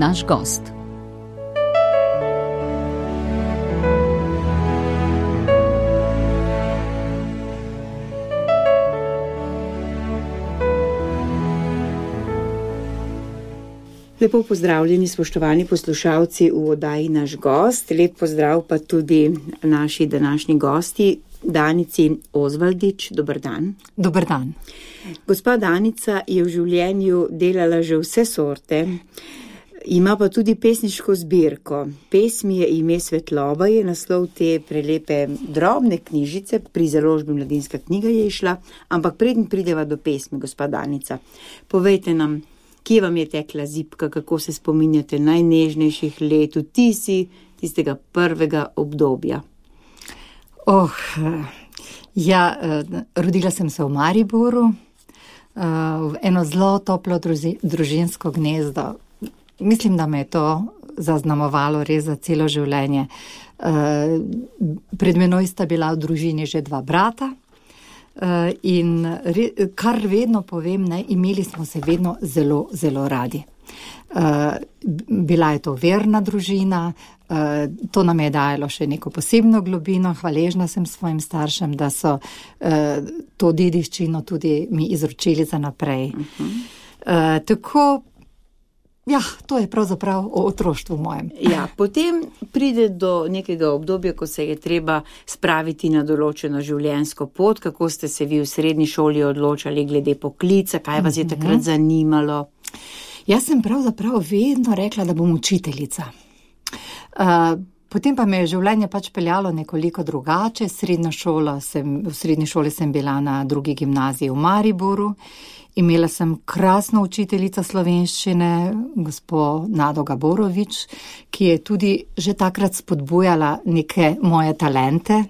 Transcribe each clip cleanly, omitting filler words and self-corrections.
naš gost. Lepo pozdravljeni, spoštovani poslušalci v oddaji Naš gost. Lep pozdrav pa tudi naši današnji gosti, Danici Ozvaldič. Dober dan. Dober dan. Gospa Danica je v življenju delala že vse sorte, ima pa tudi pesniško zbirko. Pesmi je ime Svetloba, je naslov te prelepe drobne knjižice, pri založbi Mladinska knjiga je išla, ampak preden prideva do pesmi, gospa Danica, povejte nam, kje vam je tekla zibka, kako se spominjate najnežnejših let, tistega prvega obdobja? Rodila sem se v Mariboru, v eno zelo toplo družinsko gnezdo. Mislim, da me je to zaznamovalo res za celo življenje. Pred menoj sta bila v družini že 2 brata. In kar vedno povem, imeli smo se vedno zelo, zelo radi. Bila je to verna družina, to nam je dajalo še neko posebno globino. Hvaležna sem svojim staršem, da so to dediščino tudi mi izročili za naprej. To je pravzaprav o otroštvu mojem. Ja, potem pride do nekega obdobja, ko se je treba spraviti na določeno življenjsko pot. Kako ste se vi v srednji šoli odločali glede poklica, kaj vas je takrat zanimalo? Jaz sem pravzaprav vedno rekla, da bom učiteljica. Potem pa me je življenje peljalo nekoliko drugače. V srednji šoli sem bila na 2. gimnaziji v Mariboru. Imela sem krasno učiteljico slovenščine, gospo Nado Gaborovič, ki je tudi že takrat spodbujala neke moje talente.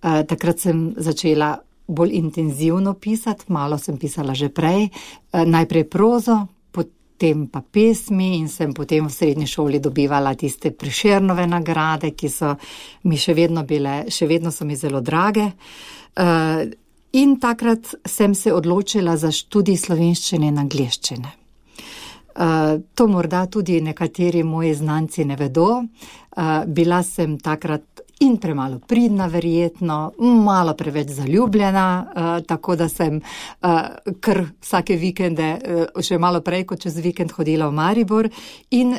Takrat sem začela bolj intenzivno pisati, malo sem pisala že prej, najprej prozo, potem pa pesmi in sem potem v srednji šoli dobivala tiste Prešernove nagrade, ki so mi še vedno so mi zelo drage. In takrat sem se odločila za študij slovenščine in angleščine. To morda tudi nekateri moji znanci ne vedo. Bila sem takrat in premalo pridna, verjetno, malo preveč zaljubljena, tako da sem kar vsake vikende, še malo prej kot čez vikend, hodila v Maribor in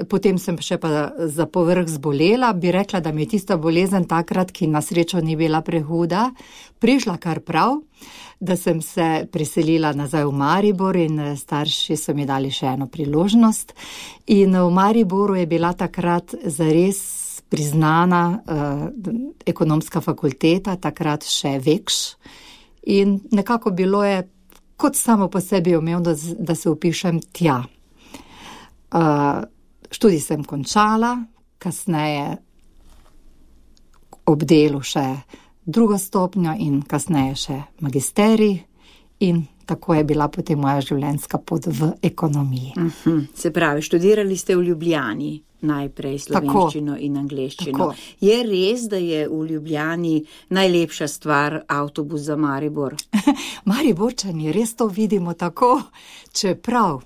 potem sem še pa za povrh zbolela. Bi rekla, da mi je tista bolezen takrat, ki na srečo ni bila prehuda, prišla kar prav, da sem se preselila nazaj v Maribor in starši so mi dali še eno priložnost. In v Mariboru je bila takrat zares priznana ekonomska fakulteta, takrat še Vekš. In nekako bilo je kot samo po sebi umevno, da se vpišem tja. Študij sem končala, kasneje ob delu še 2. stopnjo in kasneje še magisterij in tako je bila potem moja življenjska pot v ekonomiji. Se pravi, študirali ste v Ljubljani najprej slovenščino in angleščino. Je res, da je v Ljubljani najlepša stvar avtobus za Maribor? Mariborčani res to vidimo tako, čeprav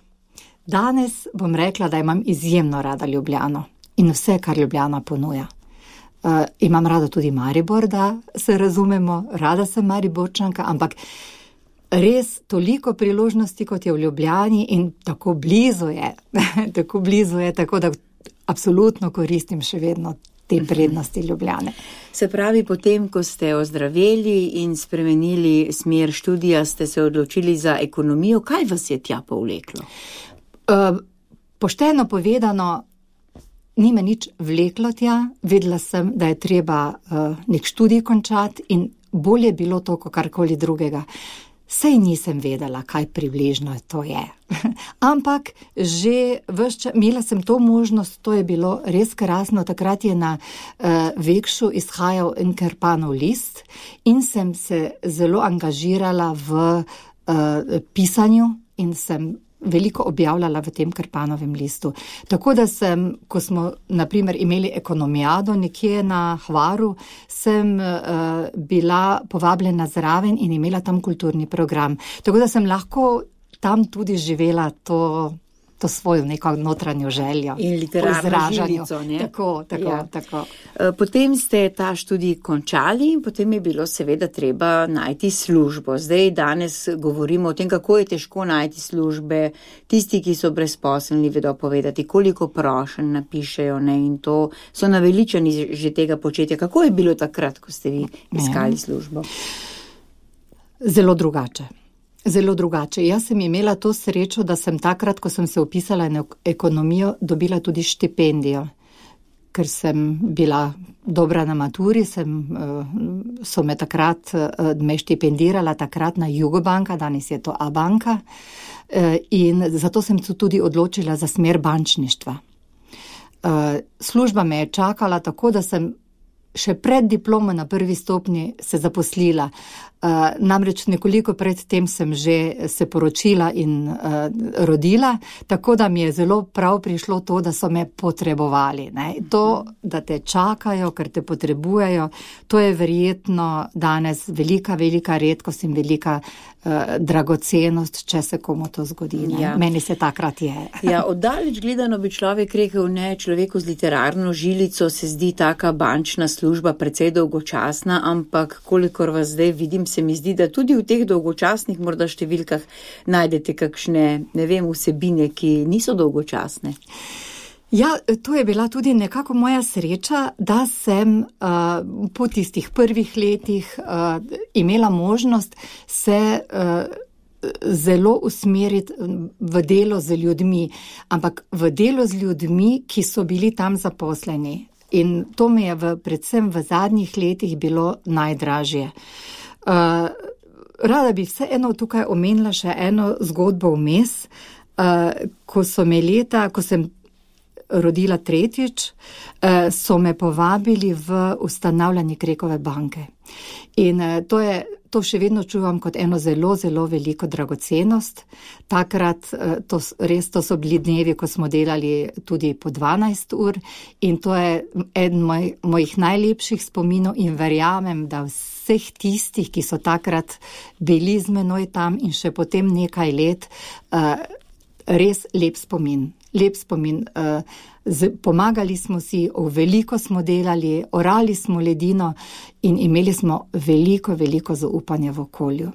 danes bom rekla, da imam izjemno rada Ljubljano in vse, kar Ljubljana ponuja. Imam rada tudi Maribor, da se razumemo, rada sem Mariborčanka, ampak res toliko priložnosti, kot je v Ljubljani in tako blizu je, tako da absolutno koristim še vedno te prednosti Ljubljane. Se pravi, potem, ko ste ozdraveli in spremenili smer študija, ste se odločili za ekonomijo. Kaj vas je tja povleklo? Pošteno povedano, ni me nič vleklo tja. Vedela sem, da je treba nek študij končati in bolje bilo to, kot karkoli drugega. Sej nisem vedela, kaj približno to je. Ampak že imela sem to možnost, to je bilo res krasno. Takrat je na Vekšu izhajal en Kerpanov list in sem se zelo angažirala v pisanju in sem veliko objavljala v tem Kerpanovem listu. Tako da sem, ko smo na primer imeli ekonomijado nekje na Hvaru, sem bila povabljena zraven in imela tam kulturni program. Tako da sem lahko tam tudi živela to to svojo neko notranjo željo. In literarno žilico, ne? Tako. Potem ste ta študij končali in potem je bilo seveda treba najti službo. Zdaj danes govorimo o tem, kako je težko najti službe. Tisti, ki so brezposelni, vedo povedati, koliko prošenj napišejo, ne, in to so naveličani že tega početja. Kako je bilo takrat, ko ste vi iskali službo? Zelo drugače. Jaz sem imela to srečo, da sem takrat, ko sem se upisala na ekonomijo, dobila tudi štipendijo. Ker sem bila dobra na maturi, so me takrat me štipendirala takrat na Jugobanka, danes je to A-banka, in zato sem se tudi odločila za smer bančništva. Služba me je čakala tako, da sem še pred diplomo na prvi stopnji se zaposlila. Namreč nekoliko pred tem sem že se poročila in rodila, tako da mi je zelo prav prišlo to, da so me potrebovali. Ne? To, da te čakajo, ker te potrebujejo, to je verjetno danes velika redkost in velika dragocenost, če se komu to zgodi. Ja. Meni se takrat je. Ja, oddaleč gledano bi človek rekel, ne, človeku z literarno žilico se zdi taka bančna služba precej dolgočasna, ampak kolikor vas zdaj vidim, se mi zdi, da tudi v teh dolgočasnih morda številkah najdete kakšne, ne vem, vsebine, ki niso dolgočasne. Ja, to je bila tudi nekako moja sreča, da sem po tistih prvih letih imela možnost se zelo usmeriti v delo z ljudmi, ampak v delo z ljudmi, ki so bili tam zaposleni. In to mi je predvsem v zadnjih letih bilo najdražje. Rada bi vseeno tukaj omenila še eno zgodbo vmes, ko sem rodila tretjič, so me povabili v ustanavljanje Krekove banke. In to še vedno čuvam kot eno zelo, zelo veliko dragocenost. Takrat, to so bili dnevi, ko smo delali tudi po 12 ur in to je eden mojih najlepših spominov in verjamem, da vseh tistih, ki so takrat bili z menoj tam in še potem nekaj let, res lep spomin. Pomagali smo si, veliko smo delali, orali smo ledino in imeli smo veliko zaupanja v okolju.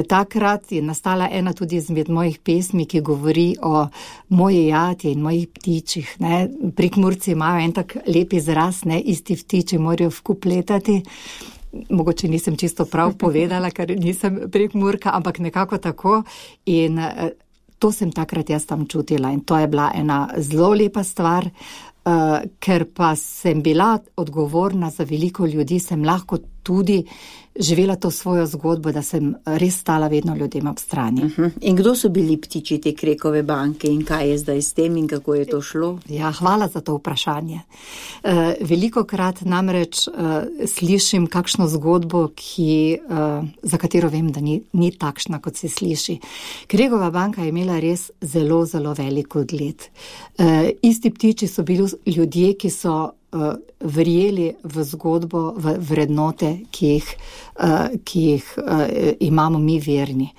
Takrat je nastala ena tudi izmed mojih pesmi, ki govori o moji jati in mojih ptičih. Ne. Prekmurci imajo en tak lep izraz, ne, isti ptiči morajo vkup letati. Mogoče nisem čisto prav povedala, ker nisem Prekmurka, ampak nekako tako. In to sem takrat jaz tam čutila in to je bila ena zelo lepa stvar, ker pa sem bila odgovorna za veliko ljudi, sem lahko tudi živela to svojo zgodbo, da sem res stala vedno ljudem ob strani. In kdo so bili ptiči te Krekove banke in kaj je zdaj s tem in kako je to šlo? Ja, hvala za to vprašanje. Velikokrat namreč slišim kakšno zgodbo, za katero vem, da ni takšna, kot se sliši. Krekova banka je imela res zelo, zelo velik ugled. Isti ptiči so bili ljudje, ki so verjeli v zgodbo, v vrednote, ki jih imamo mi verni.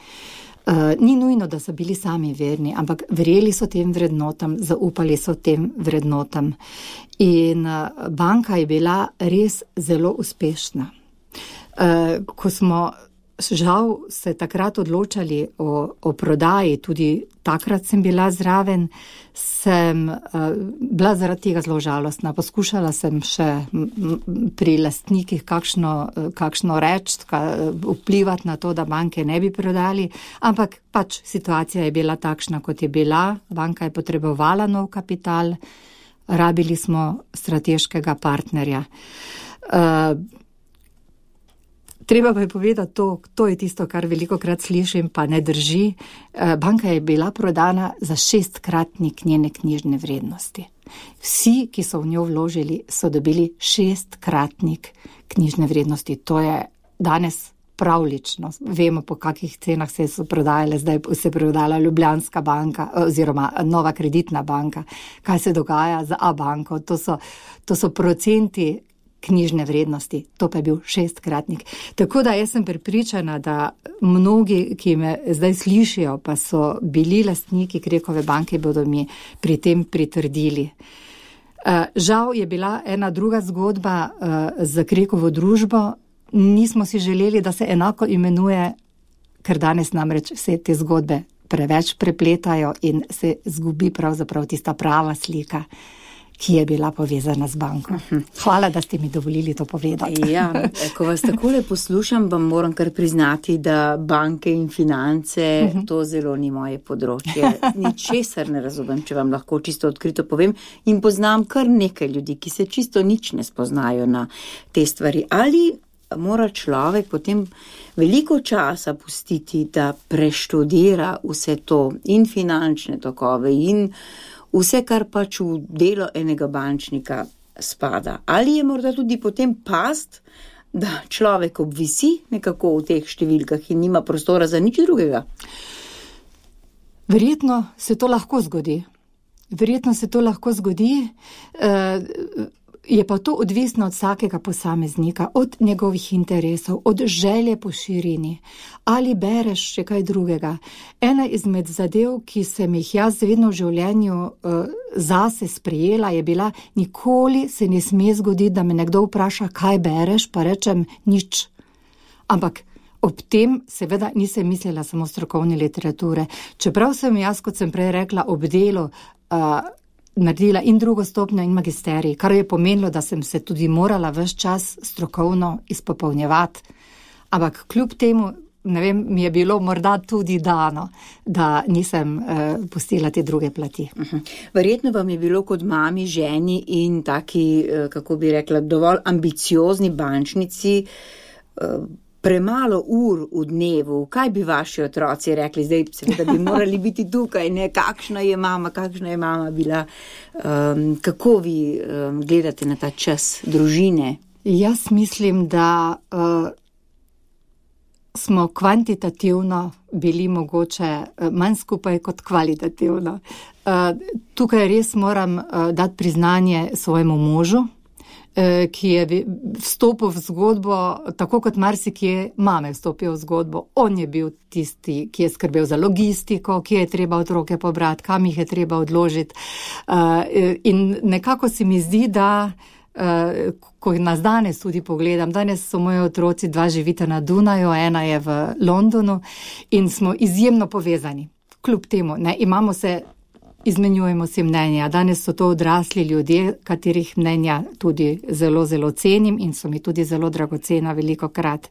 Ni nujno, da so bili sami verni, ampak verjeli so tem vrednotam, zaupali so tem vrednotam. In banka je bila res zelo uspešna. Ko smo žal se takrat odločali o prodaji, tudi takrat sem bila zraven, sem bila zaradi tega zelo žalostna. Poskušala sem še pri lastnikih kakšno reči, vplivati na to, da banke ne bi prodali, ampak pač situacija je bila takšna, kot je bila. Banka je potrebovala nov kapital, rabili smo strateškega partnerja. Treba pa je povedati to je tisto, kar velikokrat slišim, pa ne drži. Banka je bila prodana za 6-kratnik njene knjižne vrednosti. Vsi, ki so v njo vložili, so dobili 6-kratnik knjižne vrednosti. To je danes pravlično. Vemo, po kakih cenah se so prodajale, zdaj se je prodala Ljubljanska banka oziroma Nova kreditna banka. Kaj se dogaja z A-banko? To so procenti, knjižne vrednosti, to pa je bil 6-kratnik. Tako da jaz sem prepričana, da mnogi, ki me zdaj slišijo, pa so bili lastniki Krekove banke, bodo mi pri tem pritrdili. Žal je bila ena druga zgodba za Krekovo družbo. Nismo si želeli, da se enako imenuje, ker danes namreč vse te zgodbe preveč prepletajo in se zgubi pravzaprav tista prava slika, ki je bila povezana z banko. Hvala, da ste mi dovolili to povedati. Ja, ko vas takole poslušam, vam moram kar priznati, da banke in finance, to zelo ni moje področje. Ničesar ne razumem, če vam lahko čisto odkrito povem. In poznam kar nekaj ljudi, ki se čisto nič ne spoznajo na te stvari. Ali mora človek potem veliko časa pustiti, da preštudira vse to in finančne tokove in vse, kar pač v delo enega bančnika spada. Ali je morda tudi potem past, da človek obvisi nekako v teh številkah in nima prostora za nič drugega? Verjetno se to lahko zgodi. Je pa to odvisno od vsakega posameznika, od njegovih interesov, od želje po širini. Ali bereš še kaj drugega? Ena izmed zadev, ki sem jih jaz vedno v življenju zase sprejela, je bila: nikoli se ne sme zgoditi, da me nekdo vpraša, kaj bereš, pa rečem nič. Ampak ob tem seveda nisem mislila samo strokovne literature. Čeprav sem jaz, kot sem prej rekla, ob delu naredila in drugo stopnjo in magisterij, kar je pomenilo, da sem se tudi morala ves čas strokovno izpopolnjevati. Ampak kljub temu, ne vem, mi je bilo morda tudi dano, da nisem pustila te druge plati. Verjetno vam je bilo kot mami, ženi in taki, kako bi rekla, dovolj ambiciozni bančnici premalo ur v dnevu. Kaj bi vaši otroci rekli? Zdaj seveda bi morali biti tukaj, ne? Kakšna je mama bila? Kako vi gledate na ta čas družine? Jaz mislim, da smo kvantitativno bili mogoče manj skupaj kot kvalitativno. Tukaj res moram dati priznanje svojemu možu, ki je vstopil v zgodbo, tako kot marsikje mame vstopijo v zgodbo. On je bil tisti, ki je skrbel za logistiko, ki je treba otroke pobrati, kam jih je treba odložiti. In nekako se mi zdi, da ko nas danes tudi pogledam, danes so moji otroci, 2 živita na Dunaju, ena je v Londonu in smo izjemno povezani. Kljub temu, ne, izmenjujemo si mnenja. Danes so to odrasli ljudje, katerih mnenja tudi zelo, zelo cenim in so mi tudi zelo dragocena velikokrat.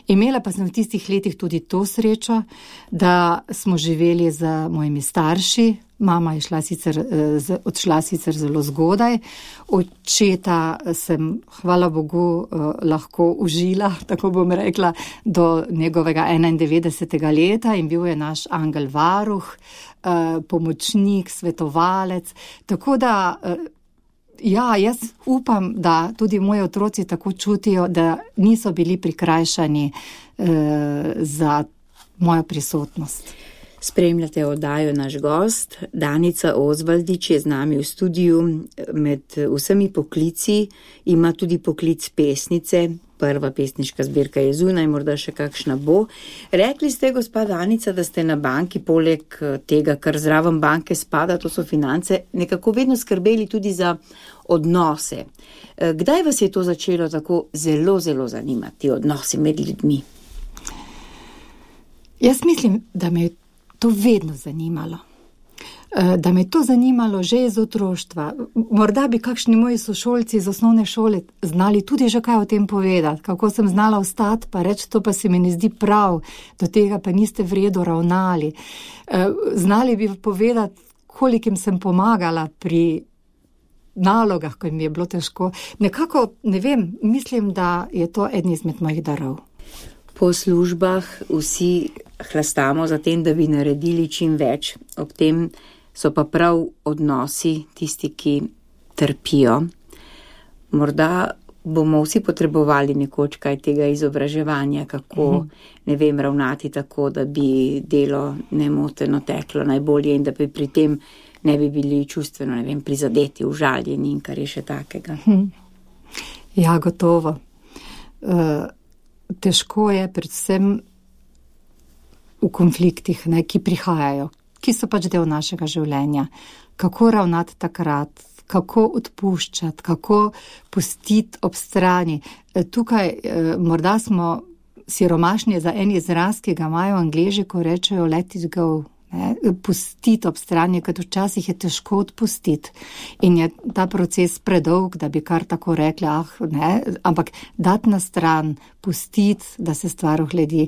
Imela pa sem v tistih letih tudi to srečo, da smo živeli z mojimi starši. Mama je odšla sicer zelo zgodaj. Očeta sem, hvala Bogu, lahko užila, tako bom rekla, do njegovega 91. leta in bil je naš angel varuh, pomočnik, svetovalec. Tako da, ja, jaz upam, da tudi moji otroci tako čutijo, da niso bili prikrajšani za mojo prisotnost. Spremljate oddajo Naš gost. Danica Ozvaldič je z nami v studiu. Med vsemi poklici ima tudi poklic pesnice. Prva pesniška zbirka je zunaj, morda še kakšna bo. Rekli ste, gospa Danica, da ste na banki, poleg tega, kar zraven banke spada, to so finance, nekako vedno skrbeli tudi za odnose. Kdaj vas je to začelo tako zelo, zelo zanimati, odnosi med ljudmi? Jaz mislim, da me je to vedno zanimalo. Da me je to zanimalo že iz otroštva. Morda bi kakšni moji sošolci iz osnovne šole znali tudi že kaj o tem povedati, kako sem znala vstati pa reči, to pa se mi ne zdi prav, do tega pa niste v redu ravnali. Znali bi povedati, kolikim sem pomagala pri nalogah, ko mi je bilo težko. Nekako, ne vem, mislim, da je to eden izmed mojih darov. Po službah vsi hlastamo za tem, da bi naredili čim več. Ob tem so pa prav odnosi tisti, ki trpijo. Morda bomo vsi potrebovali nekoč kaj tega izobraževanja, kako, ne vem, ravnati tako, da bi delo nemoteno teklo najbolje in da bi pri tem ne bi bili čustveno, ne vem, prizadeti, užaljeni in kar je še takega. Ja, gotovo. Težko je predvsem v konfliktih, ki prihajajo, ki so pač del našega življenja. Kako ravnati takrat, kako odpuščati, kako pustiti ob strani. Tukaj morda smo siromašni za en izraz, ki ga imajo Angleži, ko rečejo let it go. Pustiti ob strani, ker včasih je težko odpustiti in je ta proces predolg, da bi kar tako rekli, ampak dati na stran, pustiti, da se stvar ohledi.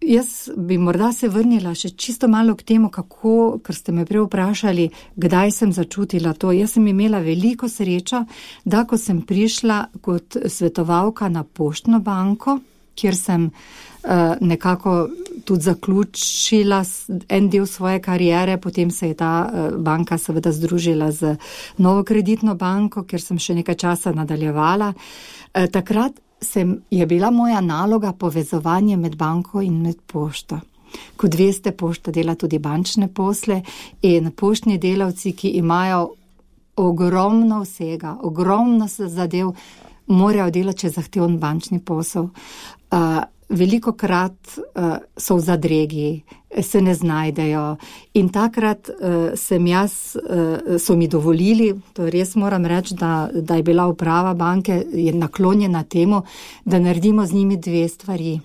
Jaz bi morda se vrnila še čisto malo k temu, kako, ker ste me prej vprašali, kdaj sem začutila to. Jaz sem imela veliko srečo, da ko sem prišla kot svetovalka na Poštno banko, kjer sem nekako tudi zaključila en del svoje kariere, potem se je ta banka seveda združila z Novo kreditno banko, kjer sem še nekaj časa nadaljevala. Takrat je bila moja naloga povezovanje med banko in med pošto. Kot veste, pošta dela tudi bančne posle in poštni delavci, ki imajo ogromno vsega, ogromno zadev, morajo delati čez zahteven bančni posel. Velikokrat so v zadregi, se ne znajdejo in takrat so mi dovolili, to res moram reči, da je bila uprava banke je naklonjena temu, da naredimo z njimi dve stvari.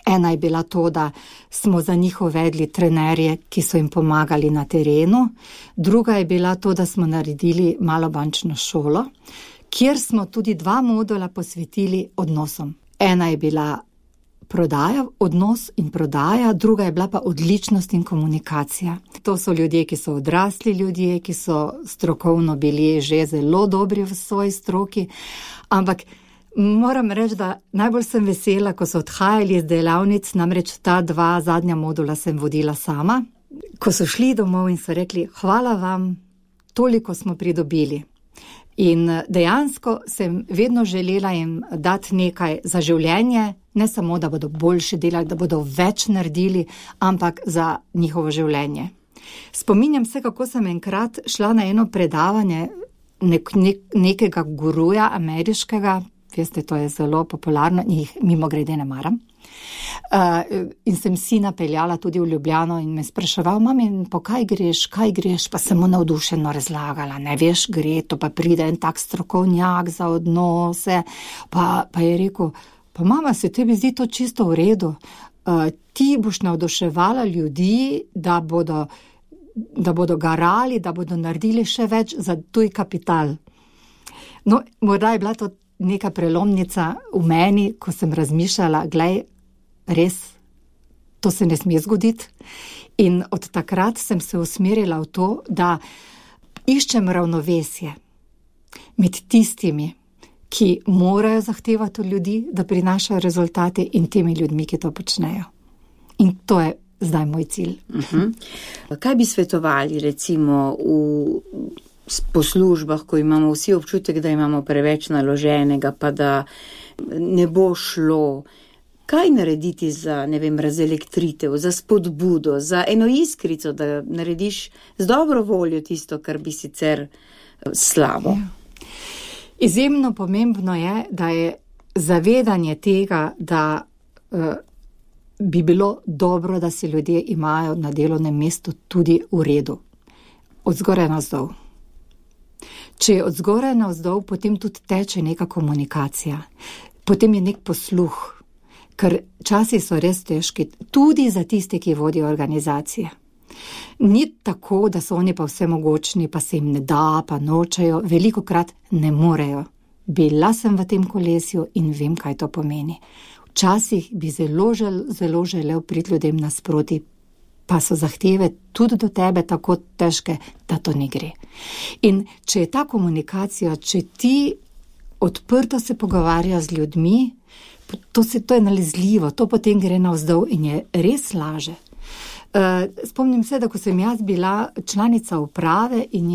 Ena je bila to, da smo za njih uvedli trenerje, ki so jim pomagali na terenu. Druga je bila to, da smo naredili malo bančno šolo, kjer smo tudi 2 modula posvetili odnosom. Ena je bila prodaja, odnos in prodaja, druga je bila pa odličnost in komunikacija. To so ljudje, ki so odrasli ljudje, ki so strokovno bili že zelo dobri v svoji stroki, ampak moram reči, da najbolj sem vesela, ko so odhajali iz delavnic, namreč ta 2 zadnja modula sem vodila sama, ko so šli domov in so rekli, hvala vam, toliko smo pridobili. In dejansko sem vedno želela jim dati nekaj za življenje, ne samo, da bodo boljše delali, da bodo več naredili, ampak za njihovo življenje. Spominjam se, kako sem enkrat šla na eno predavanje nekega guruja ameriškega, veste, to je zelo popularno, jih mimogrede ne maram. In sem sina peljala tudi v Ljubljano in me spraševal, mami, po kaj greš, pa sem mu navdušeno razlagala, ne veš, gre, to pa pride en tak strokovnjak za odnose, pa je rekel, pa mama, se tebi zdi to čisto v redu, ti boš navduševala ljudi, da bodo garali, da bodo naredili še več za tuj kapital. No, morda je bila to neka prelomnica v meni, ko sem razmišljala, glej, res, to se ne sme zgoditi. In od takrat sem se usmerila v to, da iščem ravnovesje med tistimi, ki morajo zahtevati od ljudi, da prinašajo rezultate in temi ljudmi, ki to počnejo. In to je zdaj moj cilj. Kaj bi svetovali recimo po službah, ko imamo vsi občutek, da imamo preveč naloženega, pa da ne bo šlo? Kaj narediti za, razelektritev, za spodbudo, za eno iskrico, da narediš z dobro voljo tisto, kar bi sicer slabo? Izjemno pomembno je, da je zavedanje tega, da bi bilo dobro, da se ljudje imajo na delovnem mestu tudi v redu. Od zgoraj navzdol. Če je od zgoraj navzdol, potem tudi teče neka komunikacija. Potem je nek posluh, ker časi so res težki, tudi za tiste, ki vodijo organizacije. Ni tako, da so oni pa vse mogočni, pa se jim ne da, pa nočejo, velikokrat ne morejo. Bila sem v tem kolesju in vem, kaj to pomeni. Včasih bi zelo želel priti ljudem nasproti, pa so zahteve tudi do tebe tako težke, da to ne gre. In če je ta komunikacija, če ti odprto se pogovarjaš z ljudmi, to je nalezljivo, to potem gre navzdol in je res laže. Spomnim se, da ko sem jaz bila članica uprave in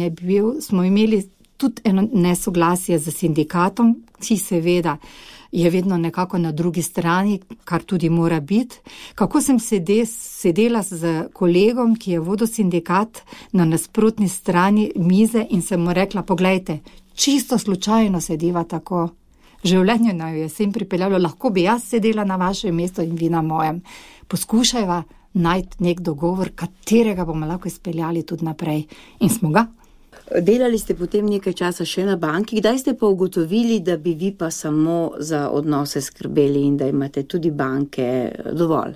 smo imeli tudi eno nesoglasje z sindikatom, ki seveda je vedno nekako na drugi strani, kar tudi mora biti. Kako sem sedela z kolegom, ki je vodil sindikat na nasprotni strani mize in sem mu rekla, poglejte, čisto slučajno sediva tako. Življenje naj je sem pripeljalo, lahko bi jaz sedela na vašem mestu in vi na mojem. Poskušajva najti nek dogovor, katerega bomo lahko izpeljali tudi naprej. In smo ga. Delali ste potem nekaj časa še na banki, kdaj ste pa ugotovili, da bi vi pa samo za odnose skrbeli in da imate tudi banke dovolj?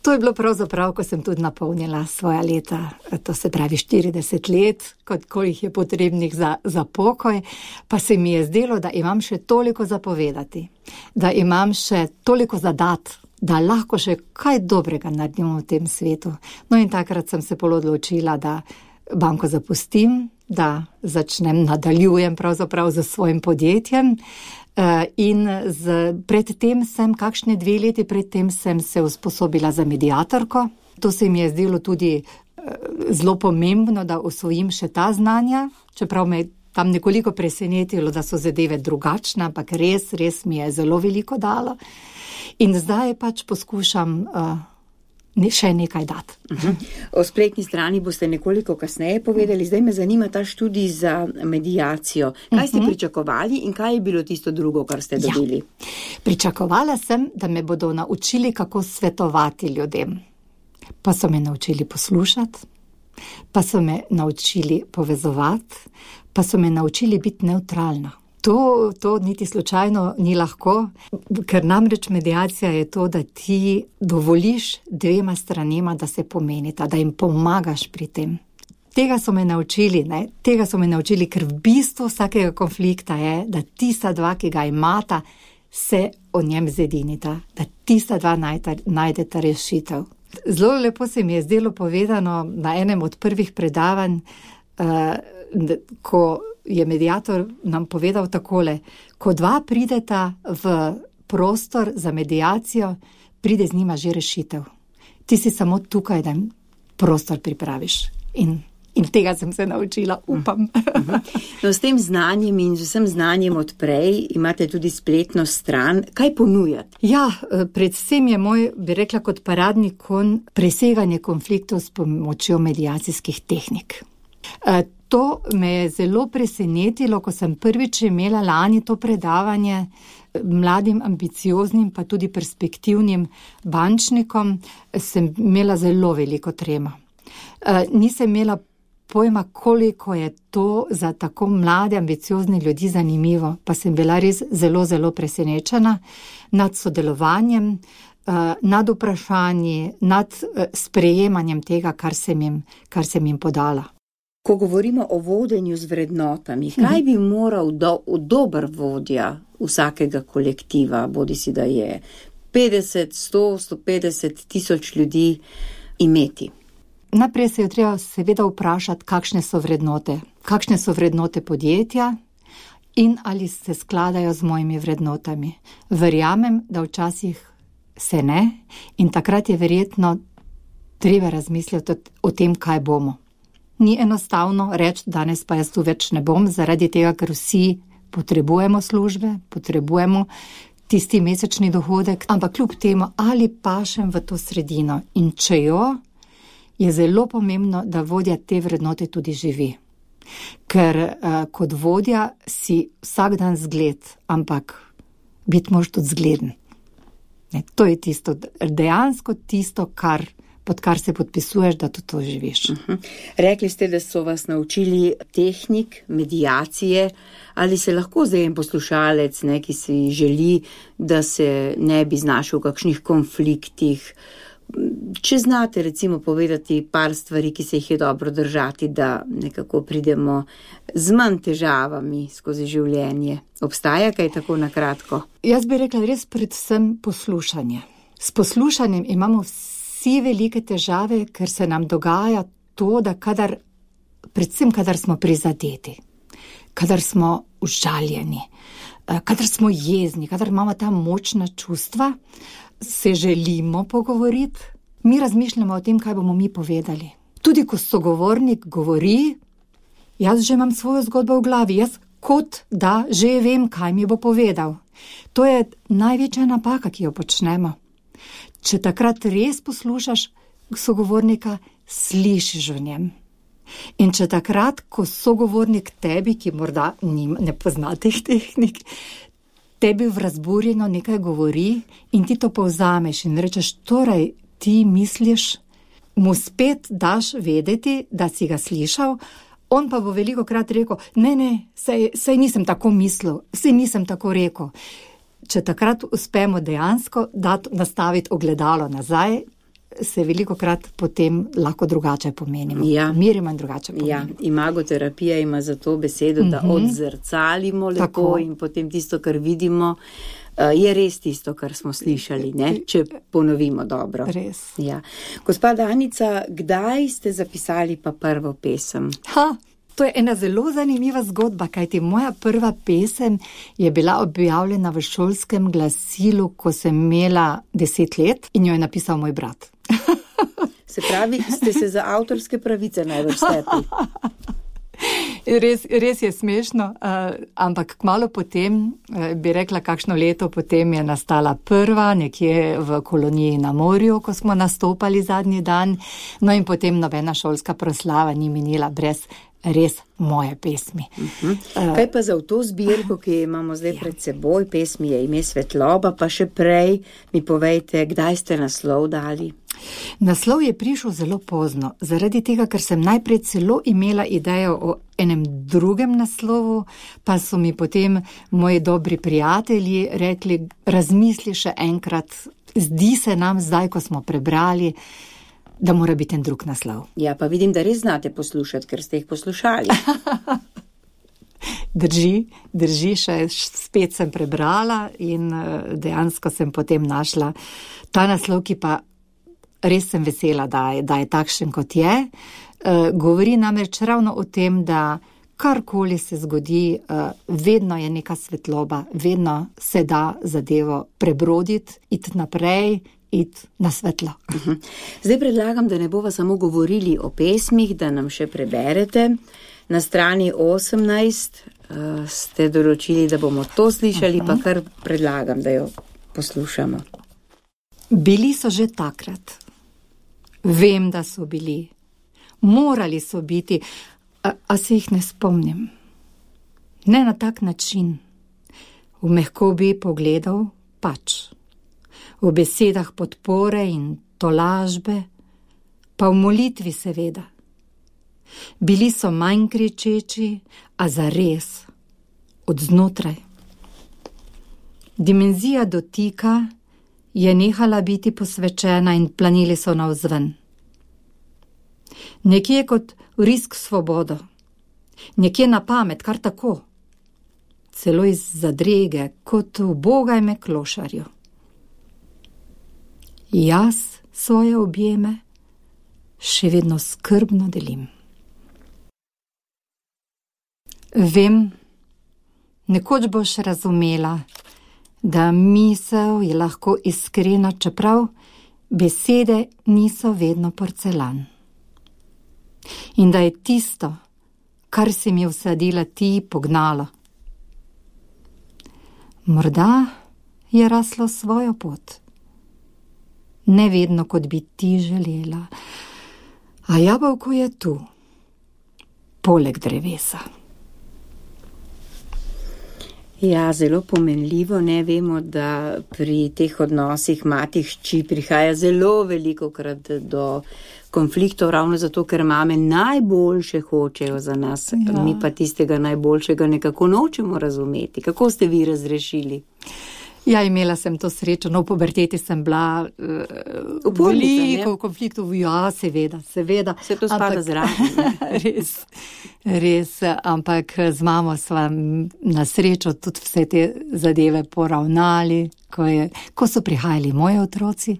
To je bilo pravzaprav, ko sem tudi napolnila svoja leta, to se pravi 40 let, koliko jih je potrebnih za pokoj, pa se mi je zdelo, da imam še toliko za povedati, da imam še toliko za dati, da lahko še kaj dobrega naredim v tem svetu. No in takrat sem se odločila, da banko zapustim, da nadaljujem pravzaprav z svojim podjetjem. In predtem sem, kakšne 2 leti predtem sem se usposobila za mediatorko. To se mi je zdelo tudi zelo pomembno, da osvojim še ta znanja, čeprav me tam nekoliko presenetilo, da so zadeve drugačne, ampak res mi je zelo veliko dalo. In zdaj pač poskušam še nekaj dati. O spletni strani boste nekoliko kasneje povedali, zdaj me zanima ta študij za mediacijo. Kaj ste pričakovali in kaj je bilo tisto drugo, kar ste dobili? Pričakovala sem, da me bodo naučili, kako svetovati ljudem. Pa so me naučili poslušati, pa so me naučili povezovati, pa so me naučili biti nevtralna. To niti slučajno ni lahko, ker namreč mediacija je to, da ti dovoliš 2 stranema, da se pomenita, da jim pomagaš pri tem. Tega so me naučili, ker v bistvu vsakega konflikta je, da tista 2, ki ga imata, se o njem zedinita, da tista 2 najdeta rešitev. Zelo lepo se mi je zdelo povedano na enem od prvih predavanj, ko je mediator nam povedal takole, ko 2 prideta v prostor za mediacijo, pride z njima že rešitev. Ti si samo tukaj, da jim prostor pripraviš. In tega sem se naučila, upam. No, s tem znanjem in z vsem znanjem odprej imate tudi spletno stran. Kaj ponujate? Ja, predvsem je moj, bi rekla, kot paradni konj preseganje konfliktov s pomočjo mediacijskih tehnik. To me je zelo presenetilo, ko sem prvič imela lani to predavanje mladim, ambicioznim, pa tudi perspektivnim bančnikom, sem imela zelo veliko tremo. Nisem imela pojma, koliko je to za tako mlade, ambiciozne ljudi zanimivo, pa sem bila res zelo, zelo presenečena nad sodelovanjem, nad vprašanji, nad sprejemanjem tega, kar sem jim podala. Ko govorimo o vodenju z vrednotami, kaj bi moral dober vodja vsakega kolektiva, bodisi da je 50, 100, 150 tisoč ljudi, imeti? Najprej se je treba seveda vprašati, kakšne so vrednote podjetja in ali se skladajo z mojimi vrednotami. Verjamem, da včasih se ne in takrat je verjetno treba razmisliti o tem, kaj bomo. Ni enostavno reči, danes pa jaz tu več ne bom, zaradi tega, ker vsi potrebujemo službe, potrebujemo tisti mesečni dohodek, ampak kljub temu, ali pašem v to sredino in če jo, je zelo pomembno, da vodja te vrednote tudi živi. Ker kot vodja si vsak dan zgled, ampak biti moraš tudi zgleden. To je tisto, dejansko tisto, pod kar se podpisuješ, da to živiš. Rekli ste, da so vas naučili tehnik, mediacije, ali se lahko zdaj en poslušalec, ki si želi, da se ne bi znašel v kakšnih konfliktih, če znate recimo povedati par stvari, ki se jih je dobro držati, da nekako pridemo z manj težavami skozi življenje. Obstaja kaj tako na kratko? Jaz bi rekla res predvsem poslušanje. S poslušanjem imamo vsi velike težave, ker se nam dogaja to, da predvsem kadar smo prizadeti, kadar smo užaljeni, kadar smo jezni, kadar imamo ta močna čustva, se želimo pogovoriti, mi razmišljamo o tem, kaj bomo mi povedali. Tudi ko sogovornik govori, jaz že imam svojo zgodbo v glavi, jaz kot da že vem, kaj mi bo povedal. To je največja napaka, ki jo počnemo. Če takrat res poslušaš sogovornika, slišiš v njem. In če takrat, ko sogovornik tebi, ki morda ne pozna teh tehnik, tebi v razburjeno nekaj govori in ti to povzameš in rečeš, torej ti misliš, mu spet daš vedeti, da si ga slišal, on pa bo velikokrat rekel, ne, sej nisem tako mislil, sej nisem tako rekel. Če takrat uspemo dejansko nastaviti ogledalo nazaj, se velikokrat potem lahko drugače pomenimo. Ja. Mirimo in drugače pomenimo. Ja, imagoterapija ima za to besedo, da odzrcalimo lepo tako. In potem tisto, kar vidimo, je res tisto, kar smo slišali, ne? Če ponovimo dobro. Res. Ja. Gospa Danica, kdaj ste zapisali pa prvo pesem? To je ena zelo zanimiva zgodba, kajti moja prva pesem je bila objavljena v šolskem glasilu, ko sem imela 10 let in jo je napisal moj brat. Se pravi, ste se za avtorske pravice najbolj stepli. Res je smešno, ampak kmalu potem, bi rekla kakšno leto potem je nastala prva, nekje v koloniji na morju, ko smo nastopali zadnji dan, no in potem nobena šolska proslava ni minila brez res moje pesmi. Kaj pa za to zbirko, ki imamo zdaj pred seboj, pesmi je Ime svetloba, pa še prej mi povejte, kdaj ste naslov dali? Naslov je prišel zelo pozno, zaradi tega, ker sem najprej celo imela idejo o enem drugem naslovu, pa so mi potem moji dobri prijatelji rekli, razmisli še enkrat, zdi se nam zdaj, ko smo prebrali, da mora biti en drug naslov. Ja, pa vidim, da res znate poslušati, ker ste jih poslušali. Drži, še spet sem prebrala in dejansko sem potem našla ta naslov, ki pa res sem vesela, da je takšen, kot je. Govori namreč ravno o tem, da karkoli se zgodi, vedno je neka svetloba, vedno se da zadevo prebroditi, iti naprej, iti na svetlo. Zdaj predlagam, da ne bova samo govorili o pesmih, da nam še preberete. Na strani 18 ste določili, da bomo to slišali, pa kar predlagam, da jo poslušamo. Bili so že takrat. Vem, da so bili. Morali so biti, a se jih ne spomnim. Ne na tak način. V mehkobi pogledal pač. V besedah podpore in tolažbe, pa v molitvi seveda. Bili so manj kričeči, a zares, od znotraj. Dimenzija dotika je nehala biti posvečena in planili so navzven. Nekje kot risk svobodo, nekje na pamet, kar tako. Celo iz zadrege, kot v bogajme klošarju. Jaz svoje objeme še vedno skrbno delim. Vem, nekoč boš razumela, da misel je lahko iskrena, čeprav besede niso vedno porcelan. In da je tisto, kar si mi vsadila ti, pognalo. Morda je raslo svojo pot. Ne vedno, kot bi ti želela. A jabolko je tu, poleg drevesa. Ja, zelo pomenljivo, ne vemo, da pri teh odnosih mati-hči prihaja zelo velikokrat do konfliktov, ravno zato, ker mame najboljše hočejo za nas, mi pa tistega najboljšega nekako nočemo razumeti. Kako ste vi razrešili? Ja, imela sem to srečo, no, v puberteti sem bila veliko v konfliktu, ja, seveda. Se to spada zraven. Res, ampak z mamo sva na srečo tudi vse te zadeve poravnali, ko so prihajali moji otroci.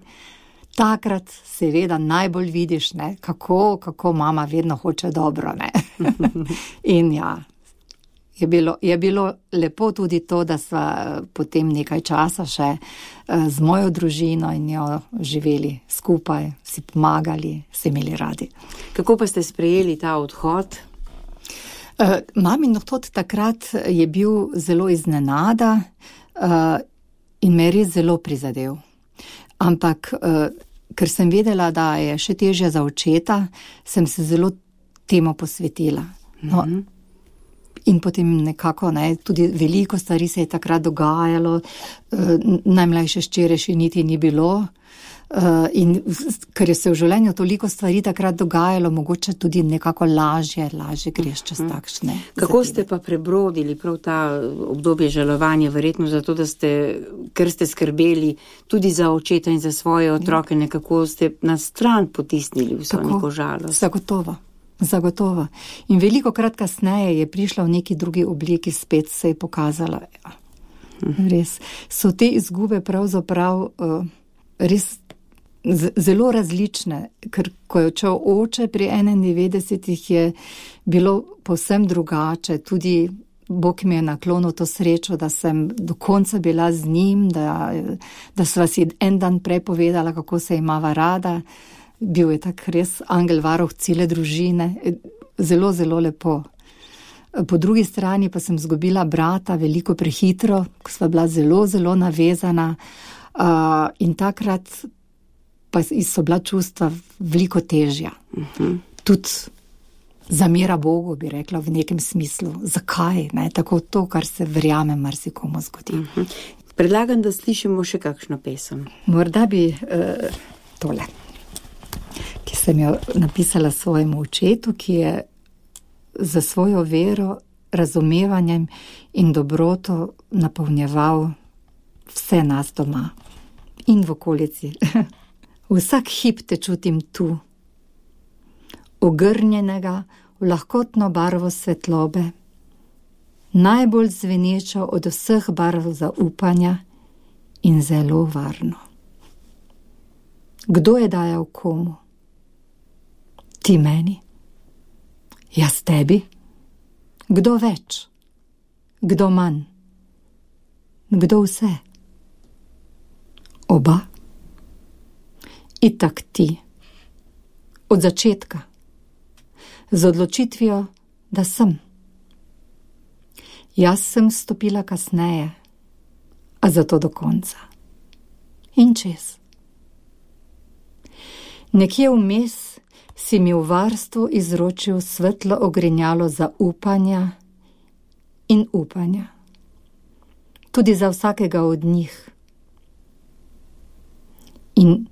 Takrat seveda najbolj vidiš, ne, kako mama vedno hoče dobro, ne. In ja, je bilo lepo tudi to, da sva potem nekaj časa še z mojo družino in jo živeli skupaj, si pomagali, se imeli radi. Kako pa ste sprejeli ta odhod? Mamin odhod takrat je bil zelo iznenada in me res zelo prizadel. Ampak, ker sem vedela, da je še težje za očeta, sem se zelo temu posvetila. No, in potem nekako, tudi veliko stvari se je takrat dogajalo, najmlajše hčere še niti ni bilo. In ker je se v življenju toliko stvari takrat dogajalo, mogoče tudi nekako lažje greš čez takšne. Kako ste pa prebrodili prav ta obdobje žalovanja, verjetno zato, ker ste skrbeli tudi za očeta in za svoje otroke, nekako ste na stran potisnili vso neko žalost? Zagotovo. In veliko krat kasneje je prišla v neki drugi obliki, spet se je pokazala. Res. So te izgube pravzaprav res zelo različne, ker ko je odšel oče pri 91 je bilo povsem drugače. Tudi Bog mi je naklonil to srečo, da sem do konca bila z njim, da sva si en dan prej povedala, kako se imava rada. Bil je tak res angel varuh cele družine. Zelo, zelo lepo. Po drugi strani pa sem izgubila brata veliko prehitro, ko sva bila zelo, zelo navezana. In takrat pa so bila čustva veliko težja. Tudi zamera Bogu, bi rekla, v nekem smislu. Zakaj? Tako to, kar se verjame, marsikomu zgodi. Predlagam, da slišimo še kakšno pesem. Morda bi tole, ki sem jo napisala svojemu očetu, ki je za svojo vero, razumevanjem in dobroto napolnjeval vse nas doma in v okolici. Vsak hip te čutim tu, ogrnjenega v lahkotno barvo svetlobe, najbolj zvenečo od vseh barv zaupanja in zelo varno. Kdo je dajal komu? Ti meni? Jaz tebi? Kdo več? Kdo manj? Kdo vse? Oba? Itak ti. Od začetka. Z odločitvijo, da sem. Jaz sem stopila kasneje, a zato do konca. In čez. Nekje vmes si mi v varstvu izročil svetlo ogrinjalo zaupanja in upanja. Tudi za vsakega od njih. In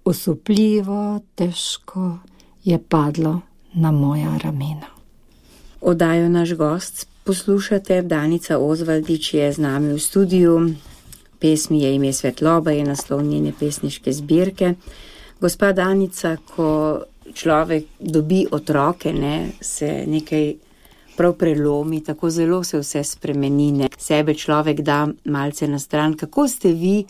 osupljivo, težko je padlo na moja ramena. Oddajo Naš gost poslušate, Danica Ozvaldič je z nami v studiu. Pesmi je ime Svetloba, je naslov njene pesniške zbirke. Gospa Danica, ko človek dobi otroke, se nekaj prav prelomi, tako zelo se vse spremeni, sebe človek da malce na stran. Kako ste vi,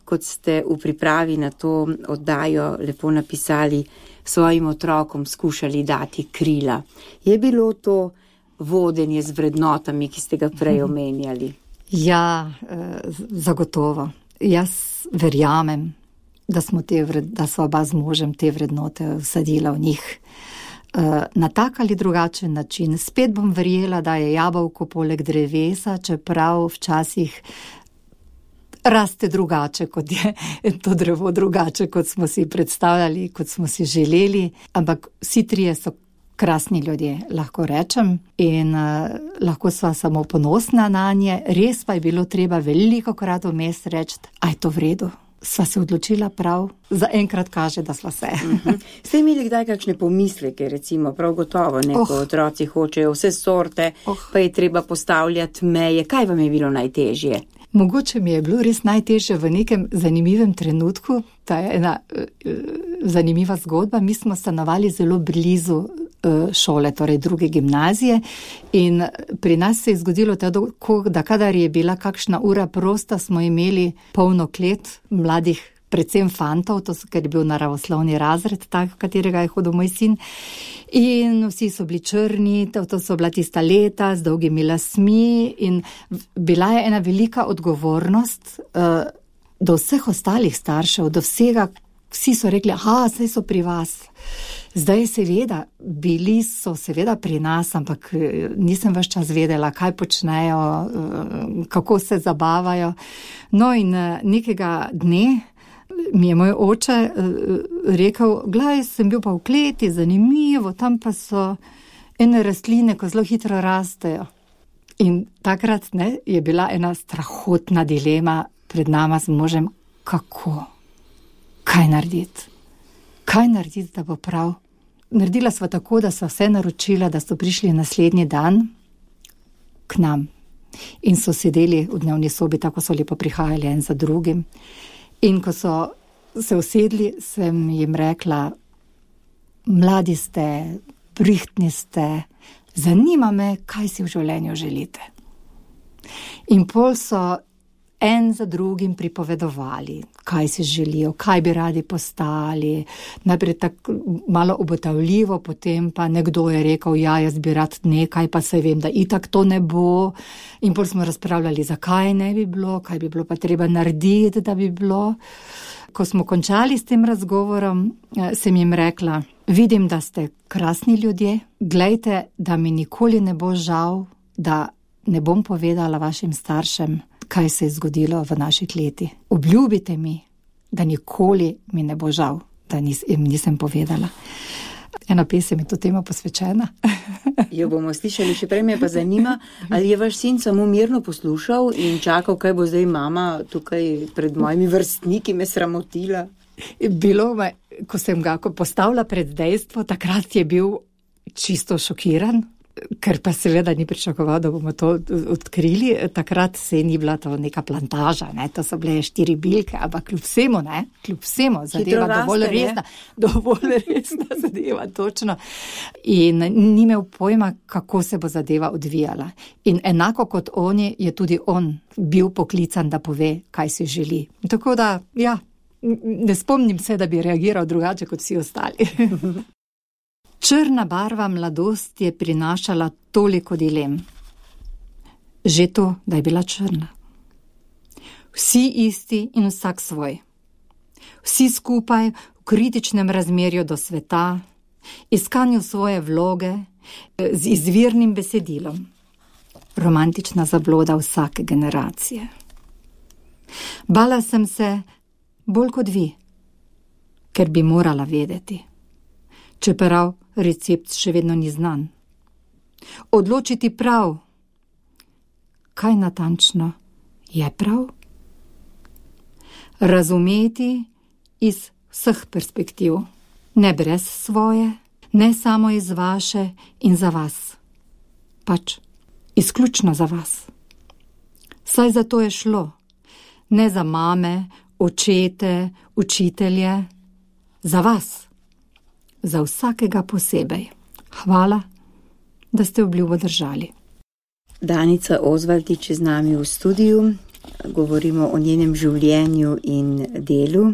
kot ste v pripravi na to oddajo lepo napisali, svojim otrokom skušali dati krila? Je bilo to vodenje z vrednotami, ki ste ga prej omenjali? Ja, zagotovo. Jaz verjamem, da sva oba z možem te vrednote vsadila v njih na tak ali drugačen način. Spet bom verjela, da je jabolko poleg drevesa, čeprav včasih raste drugače, kot je to drevo drugače, kot smo si predstavljali, kot smo si želeli. Ampak vsi trije so krasni ljudje, lahko rečem, in lahko sva samo ponosna na nje. Res pa je bilo treba veliko krat vmes reči, a je to v redu. Sva se odločila prav, zaenkrat kaže, da sva se. Ste imeli kdaj kakšne pomisleke, recimo, prav gotovo, ko otroci hočejo vse sorte, pa je treba postavljati meje. Kaj vam je bilo najtežje? Mogoče mi je bilo res najtežje v nekem zanimivem trenutku. Ta je ena zanimiva zgodba. Mi smo stanovali zelo blizu šole, torej druge gimnazije, in pri nas se je zgodilo da kadar je bila kakšna ura prosta, smo imeli polno klet mladih, predvsem fantov, ker je bil naravoslovni razred, tak, v katerega je hodil moj sin. In vsi so bili črni, to so bila tista leta z dolgimi lasmi, in bila je ena velika odgovornost do vseh ostalih staršev, do vsega. Vsi so rekli, saj so pri vas. Zdaj seveda, bili so seveda pri nas, ampak nisem ves čas vedela, kaj počnejo, kako se zabavajo. No in nekega dne mi je moj oče rekel, glej, sem bil pa v kleti, zanimivo, tam pa so ene rastline, ko zelo hitro rastejo. In takrat je bila ena strahotna dilema pred nama z možem, kako, kaj narediti, da bo prav. Naredila sva tako, da sva vse naročila, da so prišli naslednji dan k nam in so sedeli v dnevni sobi, tako so lepo prihajali en za drugim. In ko so se usedli, sem jim rekla, mladi ste, brihtni ste, zanima me, kaj si v življenju želite. In pol so en za drugim pripovedovali, kaj si želijo, kaj bi radi postali. Najprej tako malo obotavljivo, potem pa nekdo je rekel, ja, jaz bi rad nekaj, pa saj vem, da itak to ne bo. In pol smo razpravljali, zakaj ne bi bilo, kaj bi bilo pa treba narediti, da bi bilo. Ko smo končali s tem razgovorom, sem jim rekla, vidim, da ste krasni ljudje, glejte, da mi nikoli ne bo žal, da ne bom povedala vašim staršem, kaj se je zgodilo v naši kleti. Obljubite mi, da nikoli mi ne bo žal, da jim nisem povedala. Ena pesem je to tema posvečena. Jo bomo slišali, še prej me pa zanima, ali je vaš sin samo mirno poslušal in čakal, kaj bo zdaj mama tukaj pred mojimi vrstniki me sramotila? Bilo me, ko sem ga postavila pred dejstvo, takrat je bil čisto šokiran, ker pa seveda ni pričakoval, da bomo to odkrili. Takrat se ni bila to neka plantaža, to so bile 4 bilke, ampak kljub vsemu zadeva dovolj resna zadeva, točno. In ni imel pojma, kako se bo zadeva odvijala. In enako kot oni, je tudi on bil poklican, da pove, kaj si želi. Tako da, ja, ne spomnim se, da bi reagiral drugače kot vsi ostali. Črna barva mladosti je prinašala toliko dilem. Že to, da je bila črna. Vsi isti in vsak svoj. Vsi skupaj v kritičnem razmerju do sveta, iskanju svoje vloge, z izvirnim besedilom. Romantična zabloda vsake generacije. Bala sem se bolj kot vi, ker bi morala vedeti. Čeprav recept še vedno ni znan. Odločiti prav, kaj natančno je prav? Razumeti iz vseh perspektiv, ne brez svoje, ne samo iz vaše in za vas, pač izključno za vas. Saj za to je šlo, ne za mame, očete, učitelje, za vas. Za vsakega posebej. Hvala, da ste obljubo držali. Danica Ozvaldič je z nami v studiu. Govorimo o njenem življenju in delu.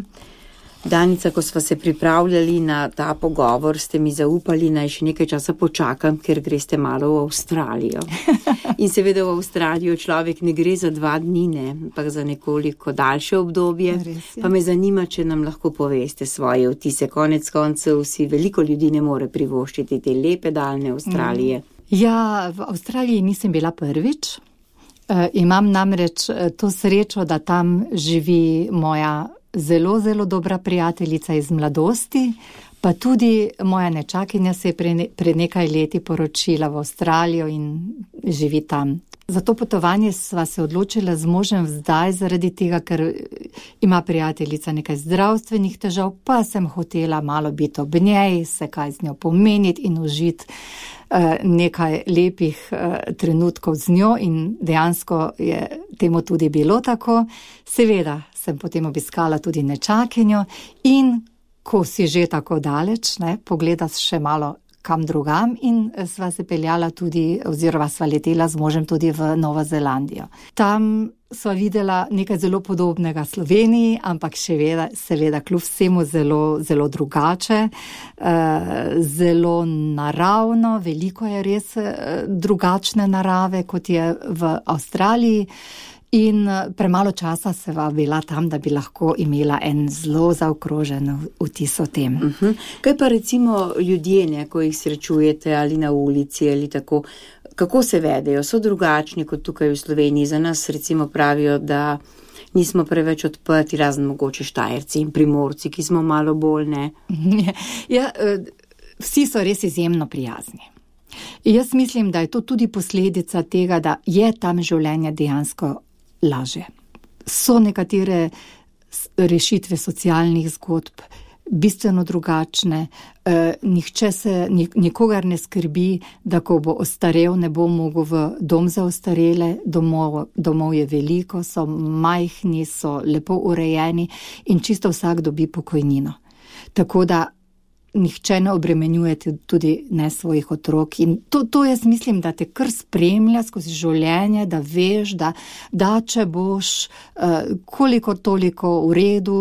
Danica, ko sva se pripravljali na ta pogovor, ste mi zaupali, naj še nekaj časa počakam, ker greste malo v Avstralijo. In seveda v Avstralijo človek ne gre za 2 dni, ampak za nekoliko daljše obdobje. Pa me zanima, če nam lahko poveste svoje vtise. Konec koncev si veliko ljudi ne more privoščiti te lepe daljne Avstralije. Ja, v Avstraliji nisem bila prvič. Imam namreč to srečo, da tam živi moja zelo, zelo dobra prijateljica iz mladosti, pa tudi moja nečakinja se je pred nekaj leti poročila v Avstralijo in živi tam. Za to potovanje sva se odločila z možem zdaj zaradi tega, ker ima prijateljica nekaj zdravstvenih težav, pa sem hotela malo biti ob njej, se kaj z njo pomeniti in užiti nekaj lepih trenutkov z njo in dejansko je temu tudi bilo tako. Seveda sem potem obiskala tudi nečakinjo in ko si že tako daleč, pogledaš še malo kam drugam in sva se peljala tudi, oziroma sva letela z možem tudi v Novo Zelandijo. Tam sva videla nekaj zelo podobnega Sloveniji, ampak seveda kljub vsemu zelo, zelo drugače, zelo naravno, veliko je res drugačne narave, kot je v Avstraliji. In premalo časa sva bila tam, da bi lahko imela en zelo zaokrožen vtis o tem. Kaj pa recimo ljudje, ko jih srečujete ali na ulici ali tako, kako se vedejo, so drugačni kot tukaj v Sloveniji. Za nas recimo pravijo, da nismo preveč odprti, razen mogoče Štajerci in Primorci, ki smo malo bolj, ne? Ja, vsi so res izjemno prijazni. Jaz mislim, da je to tudi posledica tega, da je tam življenje dejansko lažje. So nekatere rešitve socialnih zgodb bistveno drugačne, nikogar ne skrbi, da ko bo ostarel, ne bo mogel v dom za ostarele, domov je veliko, so majhni, so lepo urejeni in čisto vsak dobi pokojnino. Tako da nihče ne obremenjuje tudi ne svojih otrok in to jaz mislim, da te kar spremlja skozi življenje, da veš, da če boš koliko toliko v redu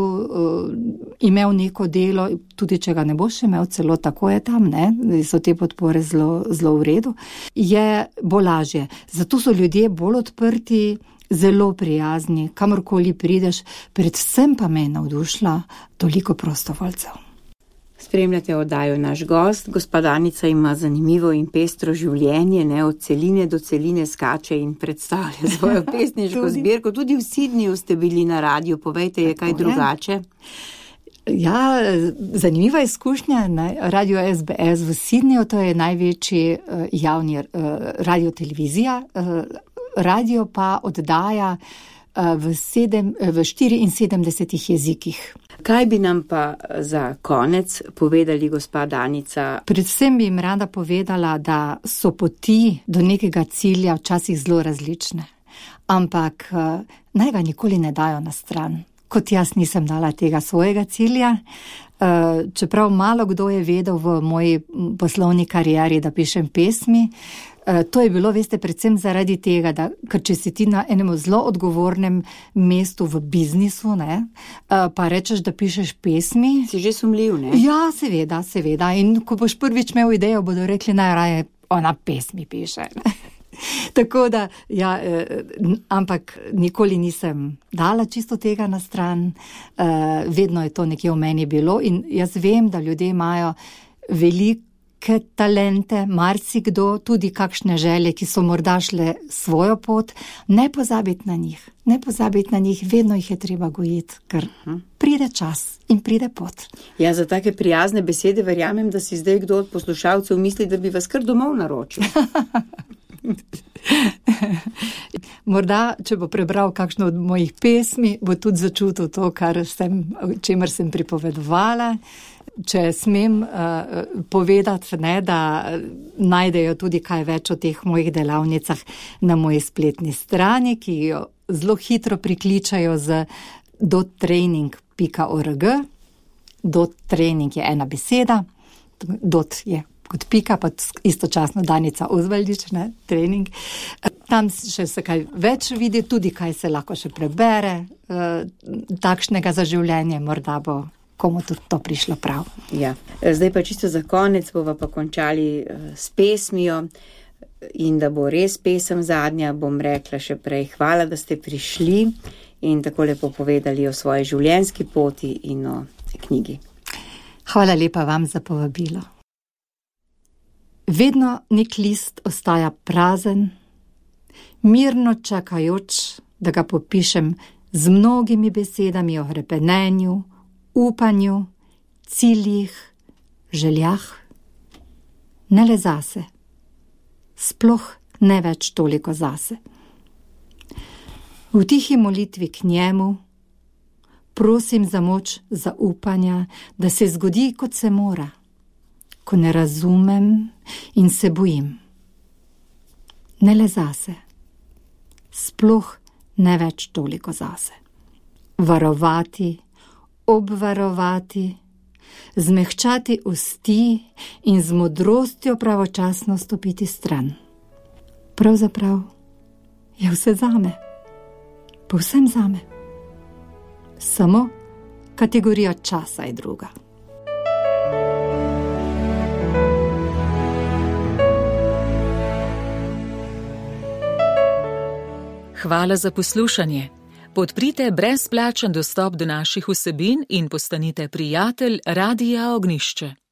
imel neko delo, tudi če ga ne boš imel, celo tako je tam, ne, so te podpore zelo v redu, je bo lažje. Zato so ljudje bolj odprti, zelo prijazni, kamorkoli prideš, predvsem pa me je navdušila toliko prostovoljcev. Spremljate oddajo Naš gost. Gospa Danica ima zanimivo in pestro življenje, ne, od celine do celine skače in predstavlja svojo pesniško zbirko. Tudi v Sydneyju ste bili na radiju, povejte, je kaj drugače? Ja, zanimiva izkušnja na radiju SBS v Sydneyju, to je največji javni radiotelevizija. Radio pa oddaja v 74 jezikih. Kaj bi nam pa za konec povedali, gospa Danica? Predvsem bi jim rada povedala, da so poti do nekega cilja včasih zelo različne, ampak naj ga nikoli ne dajo na stran. Kot jaz nisem dala tega svojega cilja, čeprav malo kdo je vedel v moji poslovni karieri, da pišem pesmi. To je bilo, veste, predvsem zaradi tega, ker če si ti na enem zelo odgovornem mestu v biznisu, ne, pa rečeš, da pišeš pesmi. Si že sumljiv, ne? Ja, seveda. In ko boš prvič imel idejo, bodo rekli, najraje ona pesmi piše. Tako da, ja, ampak nikoli nisem dala čisto tega na stran. Vedno je to nekje v meni bilo in jaz vem, da ljudje imajo velike talente, marsikdo, tudi kakšne želje, ki so morda šle svojo pot, ne pozabiti na njih, vedno jih je treba gojiti, ker pride čas in pride pot. Ja, za take prijazne besede verjamem, da si zdaj kdo od poslušalcev misli, da bi vas kar domov naročil. Morda, če bo prebral kakšno od mojih pesmi, bo tudi začutil to, čemer sem pripovedovala. Če smem povedati, ne, da najdejo tudi kaj več o teh mojih delavnicah na moji spletni strani, ki jo zelo hitro prikličajo z dottraining.org. Dottraining je ena beseda, dot je kot pika, pa istočasno Danica Osvaldič, ne, trening. Tam še se kaj več vidi, tudi kaj se lahko še prebere, takšnega za življenje, morda bo komu tudi to prišlo prav. Ja. Zdaj pa čisto za konec bova pa končali s pesmijo in da bo res pesem zadnja, bom rekla še prej hvala, da ste prišli in tako lepo povedali o svoji življenjski poti in o knjigi. Hvala lepa vam za povabilo. Vedno nek list ostaja prazen, mirno čakajoč, da ga popišem z mnogimi besedami o hrepenenju, upanju, ciljih, željah, ne le zase, sploh ne več toliko zase. V tihi molitvi k njemu prosim za moč zaupanja, da se zgodi, kot se mora, ko ne razumem in se bojim. Ne le zase, sploh ne več toliko zase. Varovati, obvarovati, zmehčati usti in z modrostjo pravočasno stopiti stran. Pravzaprav je vse zame, povsem zame. Samo kategorija časa je druga. Hvala za poslušanje. Podprite brezplačen dostop do naših vsebin in postanite prijatelj Radia Ognjišče.